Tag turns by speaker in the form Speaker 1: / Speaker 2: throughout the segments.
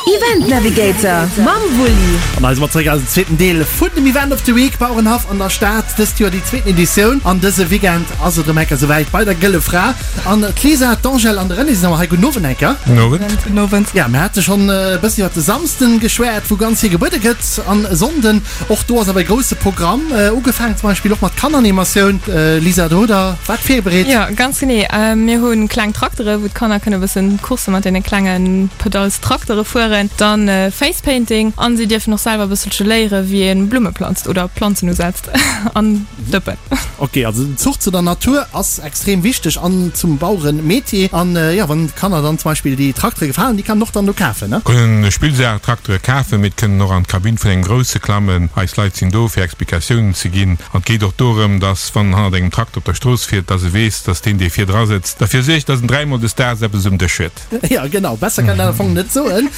Speaker 1: Event Navigator mam Wulli.
Speaker 2: An hei si mer zeréck eisem zweeten Deel vun dem Event of the Week Bauerenhaff an der Stad. Dëst Joer déi zweeten Editioun an dëse Weekend ass et erëm enker souwäit bei der Gëlle Fra. An d'Lisa, d'Angèle an de René sinn awer hei. Gudden Owend enker.
Speaker 3: Gudden Owend.
Speaker 4: Gudden Owend.
Speaker 2: Ja, mir hate schonn e bëssen iwwer de Samsden geschwäert, wou ganz vill gebuede gëtt an e Sonnden. Och do ass awer e grousse Programm, ugefaangen zum Beispill och mat Kanneranimatioun. Lisa, do hutt der wat virbereet?
Speaker 4: Jo, ganz genee. Mir hu kleng Traktere wou d'Kanner kënne e bëssen Coursse mat deene klenge Pedalstraktere fueren, dann Facepainting an si dierfen och selwer e bësselche léiere wéi ee Blumme planzt oder Planzen usetzt an Dëppen.
Speaker 2: Ok, also den Zuch zu der Natur ass extrem wichteg an zum Bauerenmetier. An jo, wann d'Kanner dann zum Beispill déi Traktere gefalen, déi kann een och dann do kafen, ne?
Speaker 3: Kënnen Spillsaach-Traktere kafen, mee kënnen och an d'Kabinn vun engem grousse klammen. Eis Leit sinn do, fir Explikatiounen ze ginn. An et geet och dorëm, dass, wann en hannert engem Trakter op der Strooss fiert, dass e weess, dass deen, dee virdra sëtzt, derfir suergt, dass en dräimol des Daags eppes um Dësch huet.
Speaker 2: Jo, genau, besser kann een dat am Fong net soen.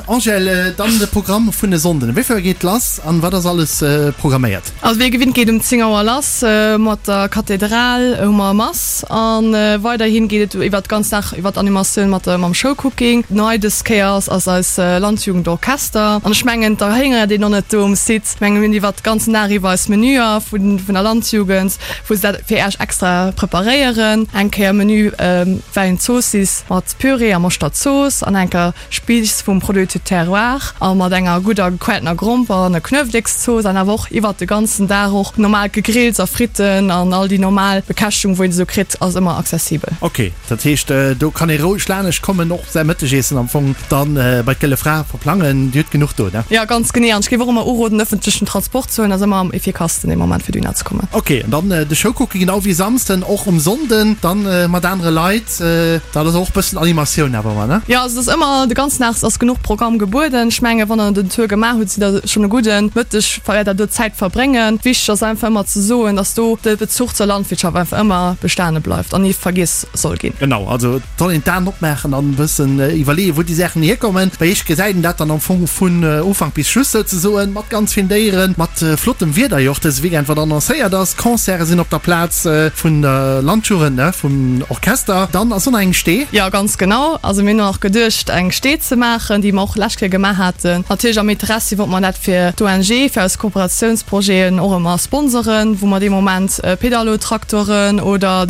Speaker 2: Angèle, dann de Programm vun e Sonnden. Wéi vill Auer geet lass an wat ass alles programméiert?
Speaker 4: Also wéi gewinnt geet um 10 Auer lass mat der Kathedral, hu mer Mass an weiderhin geet et iwwert d'ganz Dag iwwert d'Animatioun mat mam Showcooking. Nei dës Kéier ass ass eis Landjugendorchester an ech mengen d'erhéngert een och net do um Site. Ech mengen mir hunn iwwert ganzen Dag iwwer eis Menüer vun vun der Landjugend wou se dat fir Äech extra preparéieren. Eng Kéier Menü Wäin Zoossiss mat Püree a Moschterzooss an eng Kéier Spiiss vum Produit du terroir a mat enger gudder gequelltener Gromper an e Knuewelekszooss an awer och iwwert de ganzen Dag och normaalt Gegrills a Fritten an all déi normal Bekäschtegung wou een se esou kritt ass ëmmer accessibel.
Speaker 2: Ok, dat heescht do kann ee roueg lanescht kommen, och säi Mëttegeessen am Fong dann bei d'Gëlle Fra verplangen, Dir hutt genuch do, ne?
Speaker 4: Jo, ganz genee an ech géif och ëmmer uroden ëffentlechen Transport ze huelen, ass ëmmer am effikassten dee Moment fir dohinner ze kommen.
Speaker 2: Ok, an dann de Showcooking genau wéi Samsden och um Sonnden dann mat anere Leit. Dat ass och bëssen Animatioun awer ëmmer, ne?
Speaker 4: Jo, also et ass ëmmer, de ganzen Dag ass genuch Programm gebueden. Ech mengen, wann der den Tour gemaach hutt, sidd der schonn e gudden Mëtteg, wäert der do Zäit verbréngen. Wichteg ass einfach ëmmer ze soen, dass do de Bezuch zur Landwirtschaft einfach ëmmer bestane bleift an ni vergiess soll ginn.
Speaker 2: Genau, also et soll een d'Aen opmaachen an e bëssen iwwerleeën, wou déi Saachen hierkommen. Bei iech gesäit een dat dann am Fong vun Ufank bis Schluss souzesoen, mat ganz villen Déieren, mat flottem Wieder jo och dëse Weekend, wat annoncéiert ass. Concerte sinn op der Plaz vun der Landjugend, ne, vum Orchester. Dann ass och nach eng Stee.
Speaker 4: Jo, ganz genau. Also mir hunn och geduecht, eng Stee ze maachen, déi mer och lescht Kéier gemaach haten. Natierlech am Interessi wollte mer dat fir d'ONG, fir eis Kooperatiounsprojeten och ëmmer sponsoren, wou mer dee Moment Pedalotraktoren oder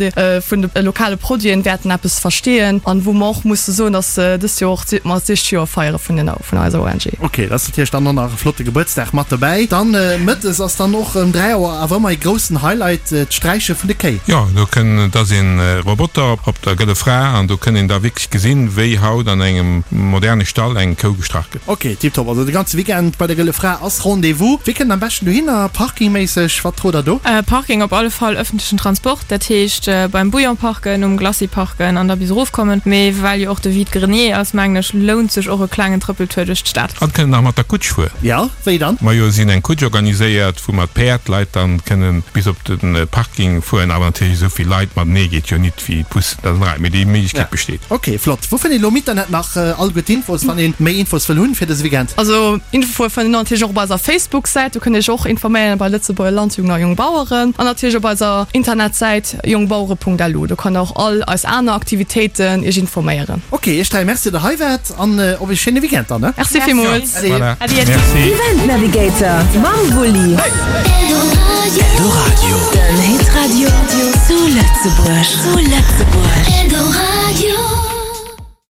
Speaker 4: vun de lokale Produiten wäerten eppes versteeën an wou mer och musse soen, dass dëst Joer och mer d'sicht Joer feiere vun den vun eiser ONG.
Speaker 2: Ok, dat ass natierlech dann och nach e flotte Gebuertsdag mat dobäi. Dann mëttes ass dann och ëm 3 Auer awer ëmmer e groussen Highlight, d'Sträiche vun de Kéi.
Speaker 3: Jo, do kënn, et ass een Roboter op der Gëlle Fra an do kënn een da wierklech gesinn, wéi haut an engem moderne Stall eng Kou gestrach gëtt.
Speaker 2: Ok, tiptop. Also de ganze Weekend bei der Gëlle Fra ass Rendez-vous. Wéi kënnt am beschten dohinner, parkingméisseg, wat rot der do?
Speaker 4: Parking op alle Fall ëffentlechen Transport, dat heescht beim Bouillon parken, um Glacis parken an da bis erof kommen. Mee well jo och de Vide-grenier ass, mengen ech, lount sech och e klengen Trëppeltour duerch d'Stad.
Speaker 3: An kënnen nach mat der Kutsch fueren.
Speaker 2: Jo, wéi dann?
Speaker 3: Majo, si hunn eng Kutsch organiséiert, wou mat Päerd d'Leit dann kënnen bis op de Parking fueren. Awer natierlech esou vill Leit matenee geet jo nit wéi d'Bussen, dat ass rei, mee déi Méiglechkeet besteet.
Speaker 2: Ok, flott. Wou fënnt een elo am Internet nach alleguer d'Infos, wann een méi Infos wëll hunn fir dëse Weekend?
Speaker 4: Also Infoe fënnt een natierlech och op eiser Facebook-Säit, do kënnt Dir iech och informéieren bei Lëtzebuerger Landjugend a Jongbaueren an natierlech op eiser Internetsäit jongbauere.lu, do kann der och all eis aner Aktivitéiten Iech informéieren.
Speaker 2: Ok, iech 3 Merci, datt der hei waart an op ee schéine Weekend dann, ne?
Speaker 4: Merci villmools.
Speaker 3: Voilà. Merci.
Speaker 1: Event Navigator mam Wulli.
Speaker 5: Eldoradio.
Speaker 1: Den Hitradio zu Lëtzebuerg. Zu Lëtzebuerg.